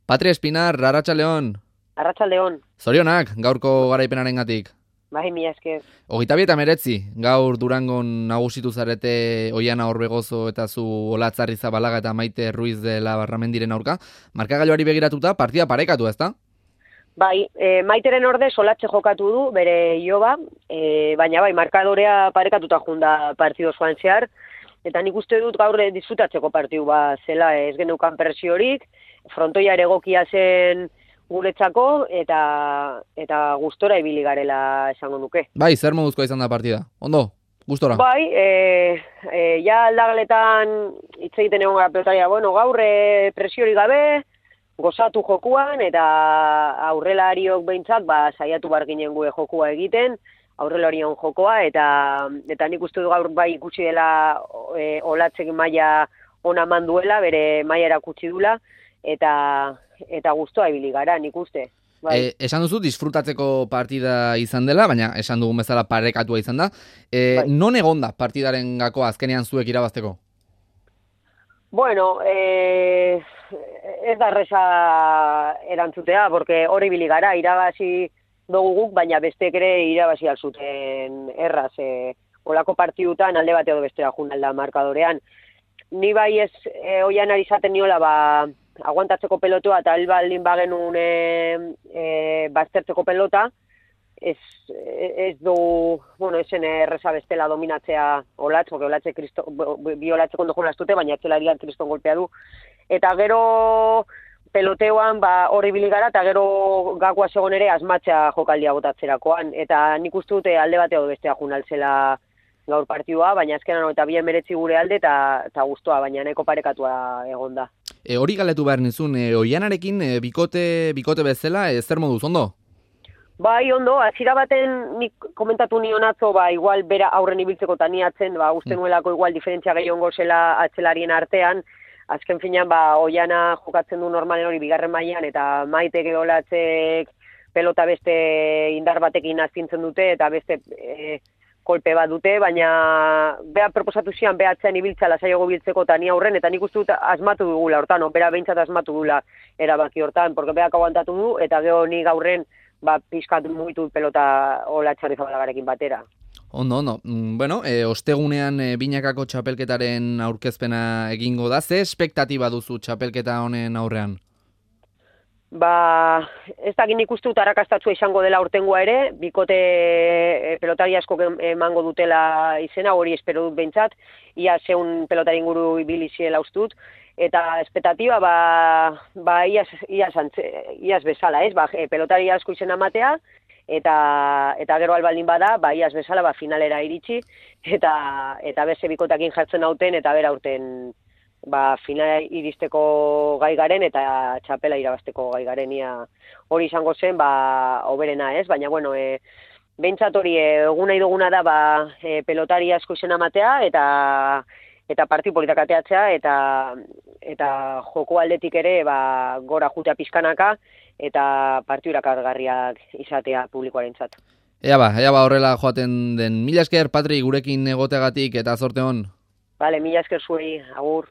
Patri Espinar, Arratsaldeon. Arratsaldeon. Zorionak, gaurko garaipenarengatik. Bai, mila esker. 29, gaur Durangon nagusitu zarete Oiana Orbegozo eta zu Olatzarri Zabalaga eta Maite Ruiz de la Barramendiren aurka. Markagailuari begiratuta, partida parekatu, ezta? Bai, Maiteren orde Solatxe jokatu du, bere iloba, baina bai, markadorea parekatuta junda partido osoan zehar, eta nik uste dut gaur disfrutatzeko partidu zela, ez geneukan presiorik, frontoia ere egokia zen guretzako, eta gustora ibili garela esango nuke. Bai, zer moduzkoa izan da partida? Ondo, gustora? Bai, ja aldagaletan hitz egiten egon gara pelotaria, bueno, gaur presiorik gabe, gozatu jokuan, eta aurrelariok behintzat, saiatu bar ginen gue jokua egiten, aurrelarion jokoa, eta nik uste du gaur bai ikusi dela Olatzek maila ona eman duela, bere maila erakutsi dula, eta gustoa ibili gara, nik uste. Bai. Esan duzu disfrutatzeko partida izan dela, baina esan dugun bezala parekatua izan da. Bai. Non egon da partidaren gako azkenean zuek irabazteko? Bueno, ez da erresa erantzutea, porque hori ibili gara, irabazi dugu guk, baina bestek ere irabazi alzuten erraz. Olako partidutan alde bateo bestera junalda markadorean. Ni bai ez Oianari izaten niola, aguantatzeko pelotua eta albaldin bagenun baztertzeko pelota, ez du, bueno, esen erreza bestela dominatzea Olatz, porque Olatze bi Olatzek ondo jolastute, baina atzelarian kriston golpea du. Eta gero peloteoan hori ibili gara, eta gero gakoa segon ere asmatzea jokaldia botatzerakoan. Eta nik uste dute alde bateo bestea junaltzela gaur partidua, baina azkenan eta bien meretzi gure alde eta gustoa, baina nahiko parekatua egon da. Hori galetu behar nizun, Oianarekin bikote bezala, zer moduz, ondo? Bai, ondo, hasiera baten nik komentatu nion atzo, igual bera aurren ibiltzeko eta ni atzen, uste nuelako igual diferentzia gehiongo zela atzelarien artean, azken finean, Oiana jokatzen du normalen hori bigarren mailan, eta Maitek edo Olatzek pelota beste indar batekin astintzen dute, eta beste kolpe bat dute, baina bera proposatu zian, bera atzean ibiltza lasaiago biltzeko eta ni aurren, eta nik uste dut asmatu dugula hortan, bera behintzat asmatu dula erabaki hortan, porque berak aguantatu du, eta gero ni gaurren pixkat mugitu pelota Olatzarri Zabalagarekin batera. Ondo. Bueno, ostegunean binakako txapelketaren aurkezpena egingo da, ze espektatiba duzu txapelketa honen aurrean? Ez dakit nik uste dut arrakastatsua izango dela urtengoa ere, bikote pelotari asko emango dutela izena, hori espero dut behintzat, ia zeun pelotari inguru ibili ziela ustut, eta espektatiba iaz bezala, ez? Pelotari asko izena matea, eta gero albaldin bada, iaz bezala finalera iritsi, eta beste bikotakin jartzen hauten, eta bera urten finala iristeko gai garen eta txapela irabazteko gai garen, hori izango zen, hoberena, ez? Baina, bueno, behintzat hori egun nahi duguna da pelotari asko izena matea, eta partiu politak ateatzea, eta joko aldetik ere gora jutea pizkanaka, eta partiu irakargarriak izatea publikoarentzat. Ea ba horrela joaten den. Mila esker, Patri, gurekin egoteagatik eta zorte hon. Bale, mila esker zuei, agur.